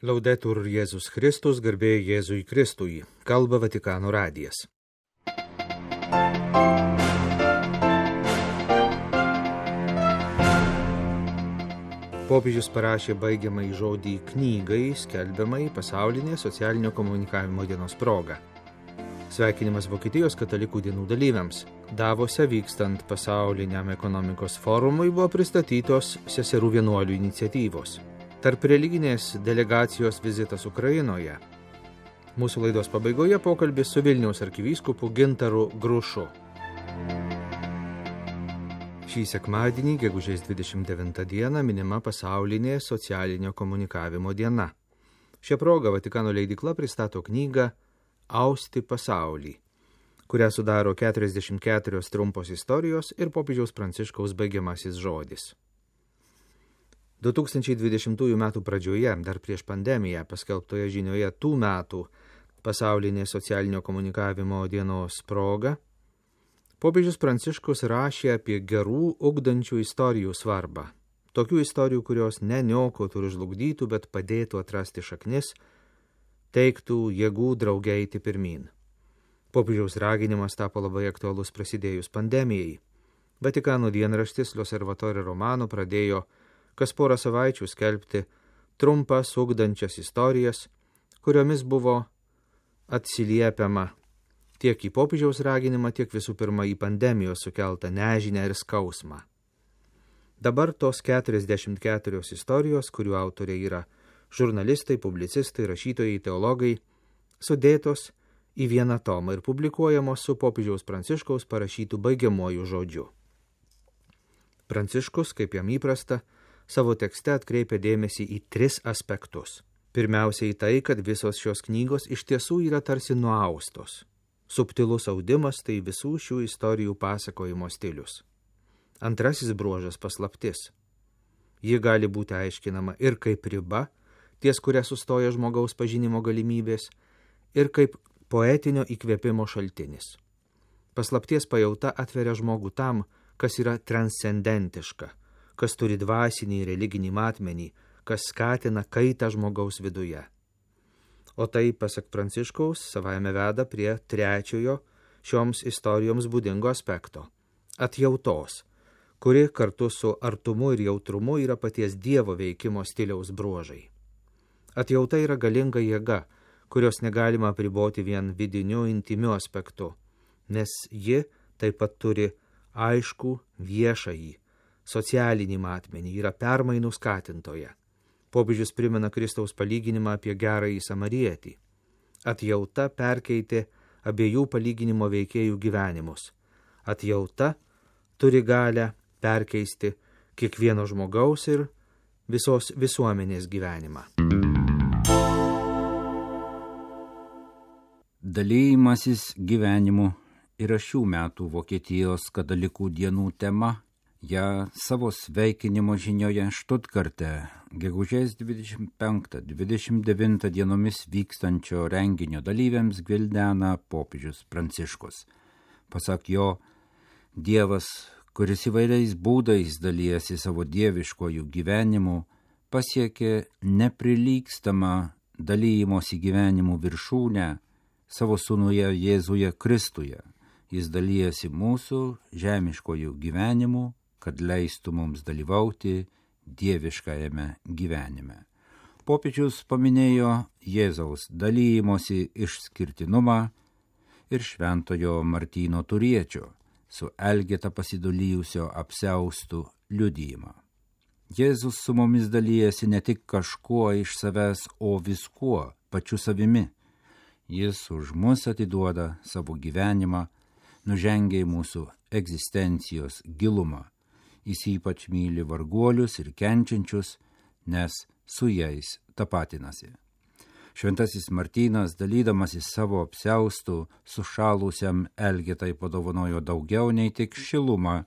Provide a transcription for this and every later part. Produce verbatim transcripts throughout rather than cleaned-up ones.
Laudetur Jėzus Kristus, garbė Jėzui Kristui, kalba Vatikano radijas. Popiežius parašė baigiamąjį žodį knygai, skelbiamai pasaulinė socialinio komunikavimo dienos proga. Sveikinimas Vokietijos katalikų dienų dalyviams. Davose vykstant pasauliniam ekonomikos forumui buvo pristatytos seserų vienuolių iniciatyvos. Tarp religinės delegacijos vizitas Ukrainoje. Mūsų laidos pabaigoje pokalbis su Vilniaus arkivyskupu Gintaru Grušu. Šį sekmadienį, gegužės dvidešimt devintą dieną, minima pasaulinė socialinio komunikavimo diena. Šią progą Vatikano leidykla pristato knygą Austi pasaulį, kurią sudaro keturiasdešimt keturios trumpos istorijos ir popiežiaus Pranciškaus baigiamasis žodis. du tūkstančiai dvidešimtųjų metų pradžioje, dar prieš pandemiją, paskelbtoje žinioje tų metų pasaulinės socialinio komunikavimo dienos proga, popiežius Pranciškus rašė apie gerų, ugdančių istorijų svarbą. Tokių istorijų, kurios ne niokotų ir žlugdytų, bet padėtų atrasti šaknis, teiktų jėgų drauge eiti pirmyn. Popiežiaus raginimas tapo labai aktualus prasidėjus pandemijai. Vatikano dienraštis L'Osservatore Romano pradėjo kas porą savaičių skelbti trumpas ugdančias istorijas, kuriomis buvo atsiliepiama tiek į popiežiaus raginimą, tiek visų pirma į pandemijos sukeltą nežinią ir skausmą. Dabar tos keturiasdešimt keturios istorijos, kurių autoriai yra žurnalistai, publicistai, rašytojai, teologai, sudėtos į vieną tomą ir publikuojamos su popiežiaus Pranciškaus parašytų baigiamuoju žodžiu. Pranciškus, kaip jam įprasta, savo tekste atkreipia dėmesį į tris aspektus. Pirmiausia į tai, kad visos šios knygos iš tiesų yra tarsi nuaustos. Subtilus audimas tai visų šių istorijų pasakojimo stilius. Antrasis bruožas paslaptis. Ji gali būti aiškinama ir kaip riba, ties kuria sustoja žmogaus pažinimo galimybės, ir kaip poetinio įkvėpimo šaltinis. Paslapties pajauta atveria žmogų tam, kas yra transcendentiška, kas turi dvasinį religinį matmenį, kas skatina kaitą žmogaus viduje. O tai, pasak Pranciškaus, savaime veda prie trečiojo šioms istorijoms būdingo aspekto – atjautos, kuri kartu su artumu ir jautrumu yra paties Dievo veikimo stiliaus bruožai. Atjauta yra galinga jėga, kurios negalima apriboti vien vidiniu, intimiu aspektu, nes ji taip pat turi aiškų viešąjį, socialinį matmenį, yra permainų skatintoje. Popiežius primena Kristaus palyginimą apie gerąjį samarietį. Atjauta perkeitė abiejų palyginimo veikėjų gyvenimus. Atjauta turi galę perkeisti kiekvieno žmogaus ir visos visuomenės gyvenimą. Dalymasis gyvenimu yra šių metų Vokietijos katalikų dienų tema. Ja savo sveikinimo žinioje Štutkarte gegužės dvidešimt penktą dvidešimt devintą dienomis vykstančio renginio dalyviams gvildena popiežius Pranciškus. Pasak jo, Dievas, kuris įvairiais būdais dalijasi savo dieviškojų gyvenimu, pasiekė neprilygstamą dalymosi gyvenimų viršūnę savo sūnuje Jėzuje Kristuje. Jis dalijasi mūsų žemiškojų gyvenimu, kad leistų mums dalyvauti dieviškajame gyvenime. Popiežius paminėjo Jėzaus dalymosi išskirtinumą ir šventojo Martyno Turiečio su Elgeta pasidalijusio apsiaustų liudijimą. Jėzus su mumis dalyjasi ne tik kažkuo iš savęs, o viskuo, pačiu savimi. Jis už mus atiduoda savo gyvenimą, nužengia į mūsų egzistencijos gilumą. Jis ypač myli varguolius ir kenčiančius, nes su jais tapatinasi. Šventasis Martynas, dalydamasis savo apsiaustų sušalusiam Elgetai, padovanojo daugiau nei tik šilumą,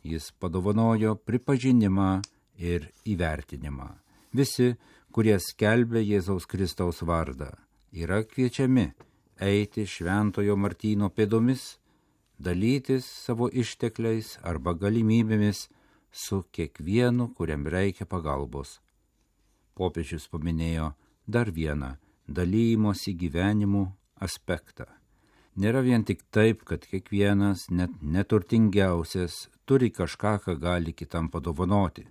jis padovanojo pripažinimą ir įvertinimą. Visi, kurie skelbia Jėzaus Kristaus vardą, yra kviečiami eiti šventojo Martyno pėdomis, dalytis savo ištekliais arba galimybėmis su kiekvienu, kuriam reikia pagalbos. Popiežius paminėjo dar vieną dalymosi gyvenimu aspektą. Nėra vien tik taip, kad kiekvienas, net neturtingiausias, turi kažką, ką gali kitam padovanoti.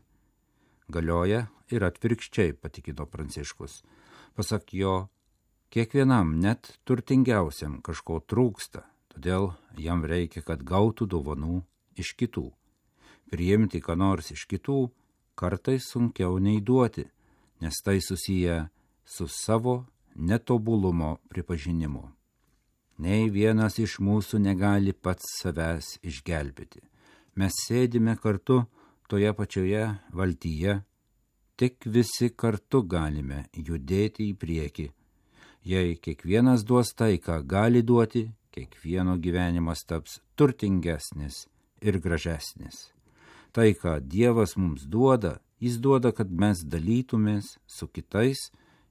Galioja ir atvirkščiai, patikino Pranciškus. Pasak jo, kiekvienam, net turtingiausiam, kažko trūksta, todėl jam reikia, kad gautų dovanų iš kitų. Priimti ką nors iš kitų kartais sunkiau nei duoti, nes tai susiję su savo netobulumo pripažinimu. Nei vienas iš mūsų negali pats savęs išgelbėti. Mes sėdime kartu toje pačioje valtyje, tik visi kartu galime judėti į priekį. Jei kiekvienas duos tai, ką gali duoti, kiekvieno gyvenimas taps turtingesnis ir gražesnis. Tai, ką Dievas mums duoda, jis duoda, kad mes dalytumės su kitais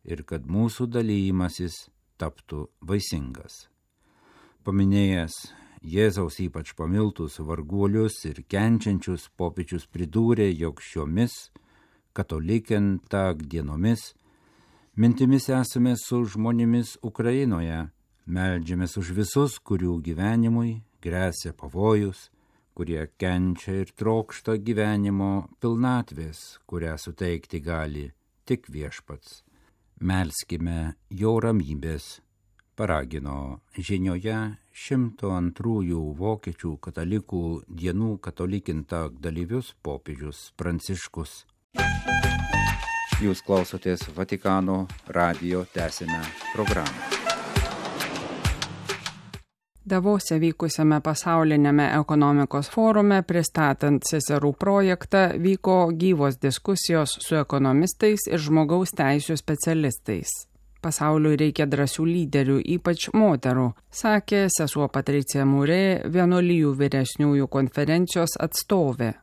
ir kad mūsų dalymasis taptų vaisingas. Paminėjęs Jėzaus ypač pamiltus varguolius ir kenčiančius, popiežius pridūrė, jog šiomis katalikentag dienomis mintimis esame su žmonėmis Ukrainoje, meldžiamės už visus, kurių gyvenimui gresia pavojus, kurie kenčia ir trokšta gyvenimo pilnatvės, kurią suteikti gali tik Viešpats. Melskime jo ramybės, paragino žinioje šimto antrųjų vokiečių katalikų dienų katalikintag dalyvius popiežius Pranciškus. Jūs klausotės Vatikano radijo, tęsime programą. Davose vykusiame pasaulinėme ekonomikos forume, pristatant seserų projektą, vyko gyvos diskusijos su ekonomistais ir žmogaus teisių specialistais. Pasauliui reikia drąsių lyderių, ypač moterų, sakė sesuo Patricija Murė, vienuolijų vyresniųjų konferencijos atstovė.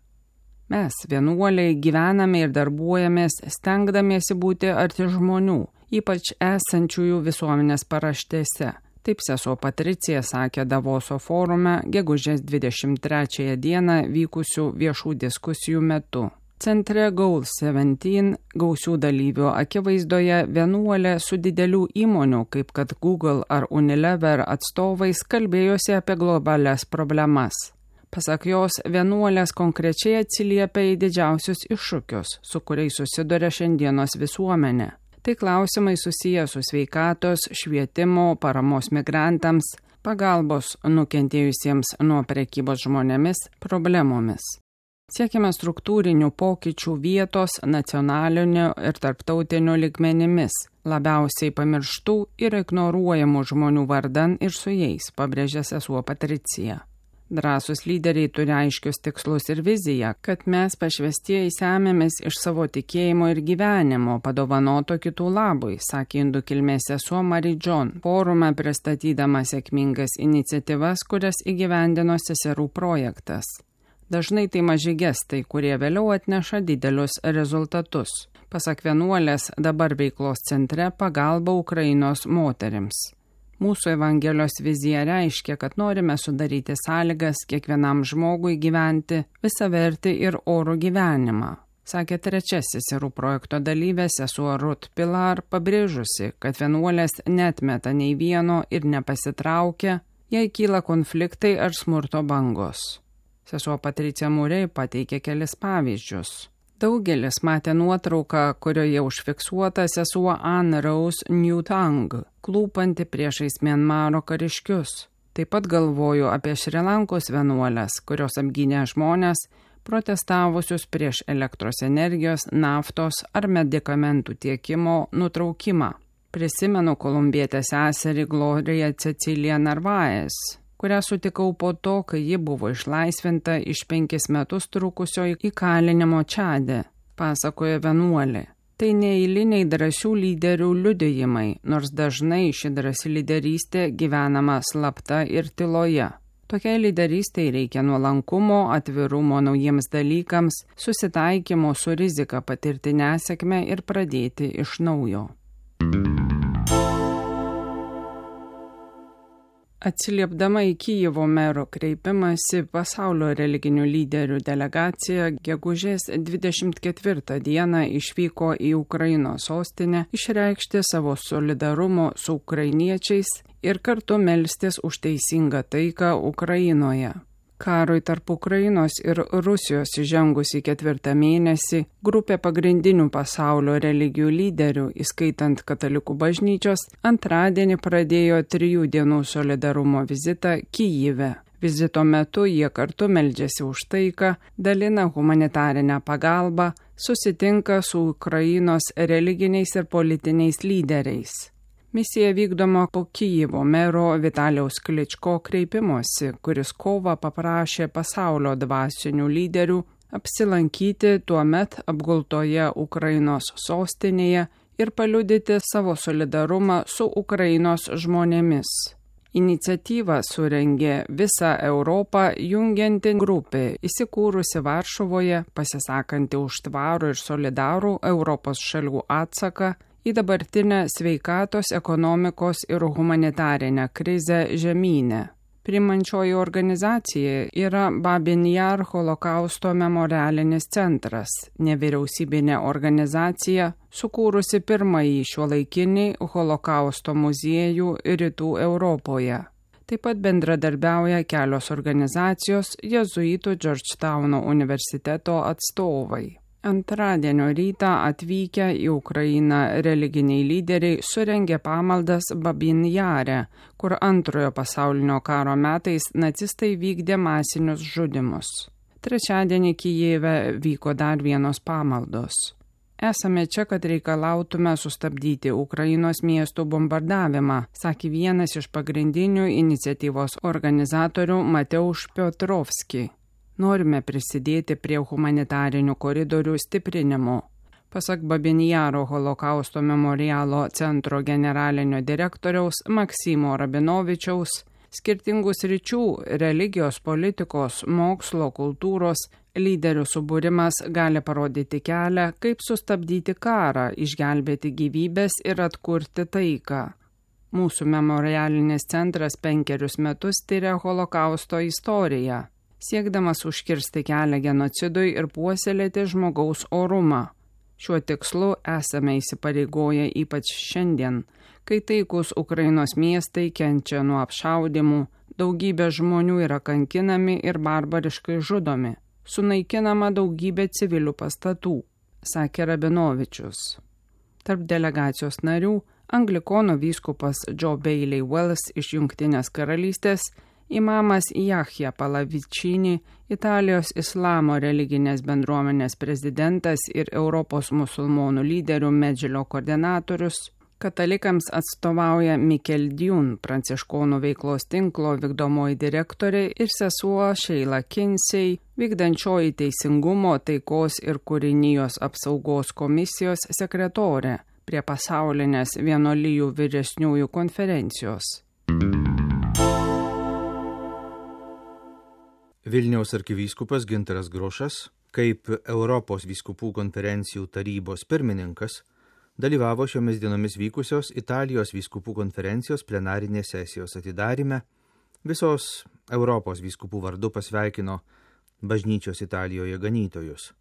Mes, vienuoliai, gyvename ir darbuojamės, stengdamiesi būti arti žmonių, ypač esančiųjų visuomenės paraštėse. Taip sesuo Patricija sakė Davoso forume gegužės dvidešimt trečiąją dieną vykusių viešų diskusijų metu. Centre Goal septyniolika gausių dalyvių akivaizdoje vienuolė su didelių įmonių, kaip kad Google ar Unilever atstovais, kalbėjosi apie globalias problemas. Pasak jos, vienuolės konkrečiai atsiliepia į didžiausius iššūkius, su kuriais susiduria šiandienos visuomenė. Tai klausimai susiję su sveikatos, švietimo, paramos migrantams, pagalbos nukentėjusiems nuo prekybos žmonėmis problemomis. Siekime struktūrinių pokyčių vietos, nacionalinių ir tarptautinių lygmenimis, labiausiai pamirštų ir ignoruojamų žmonių vardan ir su jais, pabrėžė sesuo Patricija. Drąsūs lyderiai turi aiškius tikslus ir viziją, kad mes pašvestieji semėmės iš savo tikėjimo ir gyvenimo, padovanoto kitų labui, sakė indų kilmės sesuo Mary John, forume pristatydama sėkmingas iniciatyvas, kurias įgyvendino seserų projektas. Dažnai tai maži gestai, kurie vėliau atneša didelius rezultatus. Pasak vienuolės, dabar veiklos centre pagalba Ukrainos moterims. Mūsų Evangelijos vizija reiškia, kad norime sudaryti sąlygas kiekvienam žmogui gyventi visavertį ir orų gyvenimą, sakė trečiasis seserų projekto dalyvė sesuo Ruth Pilar, pabrėžusi, kad vienuolės neatmeta nei vieno ir nepasitraukia, jei kyla konfliktai ar smurto bangos. Sesuo Patricija Murė pateikė kelis pavyzdžius. Daugelis matė nuotrauką, kurioje užfiksuota sesuo Anne Rose Newtang, klūpanti priešais Mianmaro kariškius. Taip pat galvoju apie Šri Lankos vienuolės, kurios apgynė žmonės, protestavusius prieš elektros energijos, naftos ar medikamentų tiekimo nutraukimą. Prisimenu kolumbietę seserį Gloriją Ceciliją Narvaez, kurią sutikau po to, kai ji buvo išlaisvinta iš penkis metus trukusio įkalinimo Čade, pasakoja vienuolė. Tai neeiliniai drąsių lyderių liudijimai, nors dažnai ši drąsi lyderystė gyvenama slapta ir tyloje. Tokiai lyderystei reikia nuolankumo, atvirumo naujiems dalykams, susitaikymo su rizika patirti nesėkmę ir pradėti iš naujo. Atsiliepdama į Kijevo mero kreipimąsi, pasaulio religinių lyderių delegacija gegužės dvidešimt ketvirtą dieną išvyko į Ukrainos sostinę išreikšti savo solidarumo su ukrainiečiais ir kartu melstis už teisingą taiką Ukrainoje. Karui tarp Ukrainos ir Rusijos įžengus į ketvirtą mėnesį, grupė pagrindinių pasaulio religijų lyderių, įskaitant katalikų bažnyčios, antradienį pradėjo trijų dienų solidarumo vizitą Kijive. Vizito metu jie kartu meldžiasi už taiką, dalina humanitarinę pagalbą, susitinka su Ukrainos religiniais ir politiniais lyderiais. Misija vykdoma po Kijevo mero Vitalijaus Kličko kreipimosi, kuris kovą paprašė pasaulio dvasinių lyderių apsilankyti tuomet apgultoje Ukrainos sostinėje ir paliudyti savo solidarumą su Ukrainos žmonėmis. Iniciatyvą surengė visą Europą jungianti grupė, įsikūrusi Varšuvoje, pasisakanti už tvarų ir solidarų Europos šalių atsaką į dabartinę sveikatos, ekonomikos ir humanitarinę krizę žemyne. Priimančioji organizacija yra Babin Jar holokausto memorialinis centras, nevyriausybinė organizacija, sukūrusi pirmąjį šiuolaikinį holokausto muziejų Rytų Europoje. Taip pat bendradarbiauja kelios organizacijos jėzuitų Džordžtauno universiteto atstovai. Antradienio rytą atvykę į Ukrainą religiniai lyderiai surengė pamaldas Babin Jare, kur antrojo pasaulinio karo metais nacistai vykdė masinius žudymus. Trečiadienį Kijeve vyko dar vienos pamaldos. Esame čia, kad reikalautume sustabdyti Ukrainos miestų bombardavimą, sakė vienas iš pagrindinių iniciatyvos organizatorių Mateusz Piotrovski. Norime prisidėti prie humanitarinių koridorių stiprinimo. Pasak Babin Jaro holokausto memorialo centro generalinio direktoriaus Maksimo Rabinovičiaus, skirtingų sričių - religijos, politikos, mokslo, kultūros - lyderių subūrimas gali parodyti kelią, kaip sustabdyti karą, išgelbėti gyvybės ir atkurti taiką. Mūsų memorialinis centras penkerius metus tyria holokausto istoriją, siekdamas užkirsti kelią genocidui ir puoselėti žmogaus orumą. Šiuo tikslu esame įsipareigoję ypač šiandien, kai taikus Ukrainos miestai kenčia nuo apšaudymų, daugybė žmonių yra kankinami ir barbariškai žudomi, sunaikinama daugybė civilių pastatų, sakė Rabinovičius. Tarp delegacijos narių anglikonų vyskupas Joe Bailey Wells iš Jungtinės karalystės, imamas Jahja Palavičini, Italijos islamo religinės bendruomenės prezidentas ir Europos musulmonų lyderių Medžilio koordinatorius, katalikams atstovauja Mikel Dune, pranciškonų veiklos tinklo vykdomoji direktorė ir sesuo Sheila Kinsey, vykdančioji teisingumo, taikos ir kūrinijos apsaugos komisijos sekretorė prie pasaulinės vienuolijų vyresniųjų konferencijos. Vilniaus arkivyskupas Gintaras Grušas, kaip Europos vyskupų konferencijų tarybos pirmininkas, dalyvavo šiomis dienomis vykusios Italijos vyskupų konferencijos plenarinės sesijos atidaryme, visos Europos vyskupų vardu pasveikino bažnyčios Italijoje ganytojus.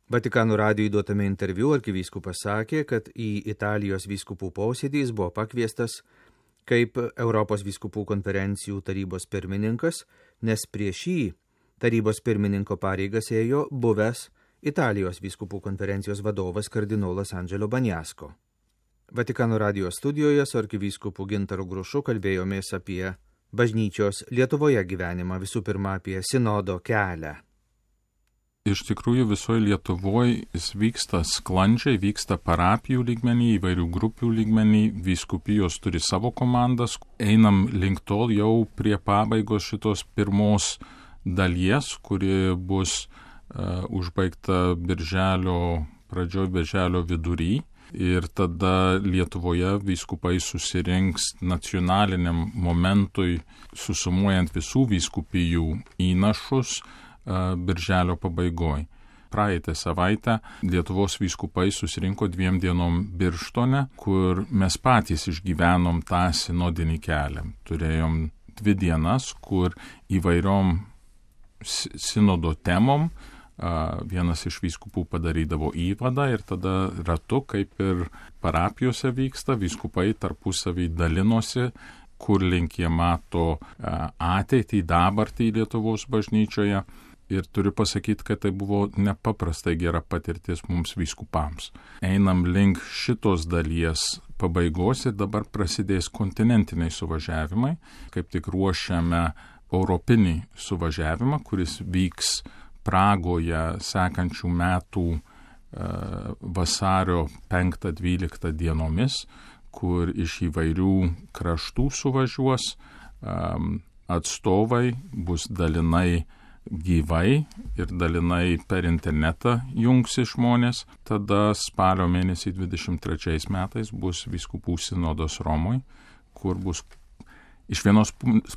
Vatikano radijui duotame interviu arkivyskupas sakė, kad į Italijos vyskupų posėdį jis buvo pakviestas kaip Europos vyskupų konferencijų tarybos pirmininkas, nes prieš jį tarybos pirmininko pareigas ėjo buvęs Italijos vyskupų konferencijos vadovas kardinolas Angelo Banjasko. Vatikano radijo studijoje su arkivyskupu Gintaru Grušu kalbėjomės apie bažnyčios Lietuvoje gyvenimą, visų pirma apie sinodo kelią. Iš tikrųjų visoje Lietuvoje jis vyksta sklandžiai, vyksta parapijų lygmenį, įvairių grupių lygmenį, vyskupijos turi savo komandas. Einam link tol jau prie pabaigos šitos pirmos dalies, kuri bus uh, užbaigta birželio pradžioj, birželio vidury. Ir tada Lietuvoje vyskupai susirinks nacionaliniam momentui, susumuojant visų vyskupijų įnašus, birželio pabaigoj. Praeitą savaitę Lietuvos vyskupai susirinko dviem dienom Birštone, kur mes patys išgyvenom tą sinodinį kelią. Turėjom dvi dienas, kur įvairiom sinodo temom vienas iš vyskupų padarydavo įvadą ir tada ratu, kaip ir parapijose vyksta, vyskupai tarpusavį dalinosi, kur link jie mato ateitį, dabartį Lietuvos bažnyčioje. Ir turiu pasakyti, kad tai buvo nepaprastai gera patirtis mums vyskupams. Einam link šitos dalies pabaigos ir dabar prasidės kontinentiniai suvažiavimai. Kaip tik ruošiame europinį suvažiavimą, kuris vyks Pragoje sekančių metų e, vasario penktą dvyliktą dienomis, kur iš įvairių kraštų suvažiuos e, atstovai, bus dalinai gyvai ir dalinai per internetą jungsi žmonės. Tada spalio mėnesį dvidešimt trečiais metais bus vyskupų sinodas Romoj, kur bus iš vienos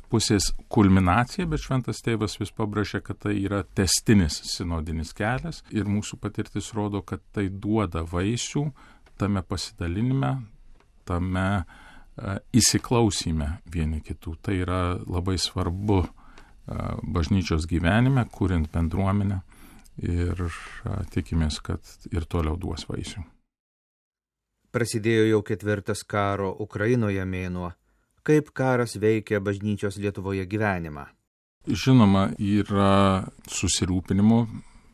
pusės kulminacija, bet šventas tėvas vis pabrėžia, kad tai yra tęstinis sinodinis kelias ir mūsų patirtis rodo, kad tai duoda vaisių tame pasidalinime, tame uh, įsiklausime vieni kitų. Tai yra labai svarbu uh, bažnyčios gyvenime, kuriant bendruomenę ir uh, tikimės, kad ir toliau duos vaisių. Prasidėjo jau ketvirtas karo Ukrainoje mėnuo. Kaip karas veikia bažnyčios Lietuvoje gyvenimą? Žinoma, yra susirūpinimo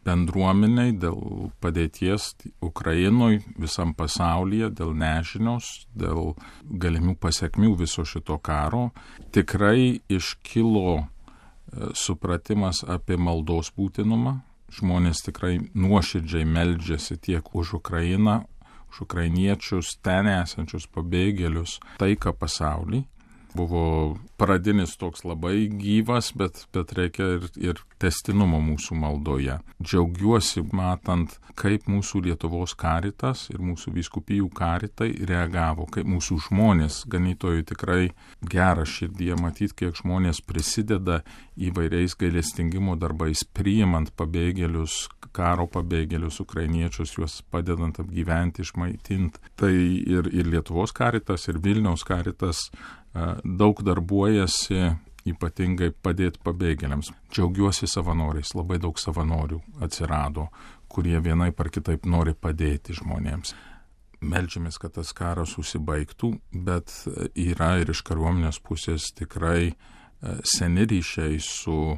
bendruomeniai dėl padėties Ukrainoje, visam pasaulyje, dėl nežinios, dėl galimų pasekmių viso šito karo. Tikrai iškilo supratimas apie maldos būtinumą. Žmonės tikrai nuoširdžiai meldžiasi tiek už Ukrainą, už ukrainiečius, ten esančius pabėgėlius, taiką pasaulį. Buvo pradinis toks labai gyvas, bet, bet reikia ir, ir tęstinumo mūsų maldoje. Džiaugiuosi matant, kaip mūsų Lietuvos karitas ir mūsų vyskupijų karitai reagavo, kaip mūsų žmonės, ganytojai tikrai gera širdyje matyti, kiek žmonės prisideda įvairiais gailestingumo darbais, priimant pabėgėlius, karo pabėgėlius, ukrainiečius, juos padedant apgyventi, išmaitinti. Tai ir, ir Lietuvos karitas, ir Vilniaus karitas daug darbuojasi, ypatingai padėti pabėgėliams. Džiaugiuosi savanoriais, labai daug savanorių atsirado, kurie vienaip ar kitaip nori padėti žmonėms. Meldžiamės, kad tas karas užsibaigtų, bet yra ir iš kariuomenės pusės tikrai seni ryšiai su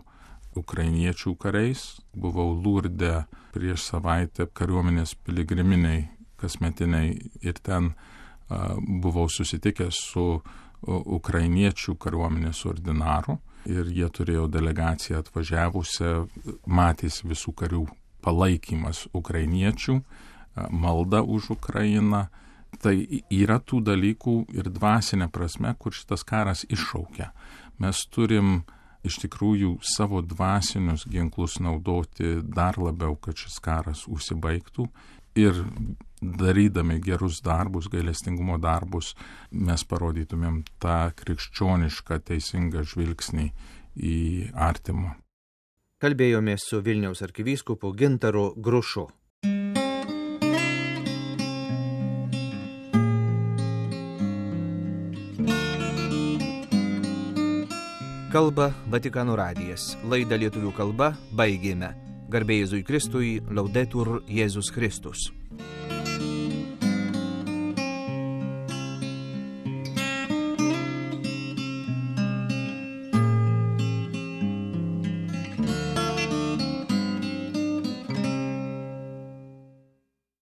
ukrainiečių kariais. Buvau Lurde prieš savaitę kariuomenės piligriminiai kasmetiniai ir ten uh, buvau susitikęs su ukrainiečių kariuomenės ordinaru ir jie turėjo delegaciją atvažiavusią, matys visų karių palaikymas ukrainiečių, malda už Ukrainą. Tai yra tų dalykų ir dvasinė prasme, kur šitas karas iššaukia. Mes turim iš tikrųjų savo dvasinius ginklus naudoti dar labiau, kad šis karas užsibaigtų. Ir darydami gerus darbus, gailestingumo darbus, mes parodytumėm tą krikščionišką teisingą žvilgsnį į artimą. Kalbėjomės su Vilniaus arkivyskupu Gintaru Grušu. Kalba Vatikano radijas. Laidą lietuvių kalba baigėme. Garbė Jėzui Kristui, Laudetur Jėzus Kristus.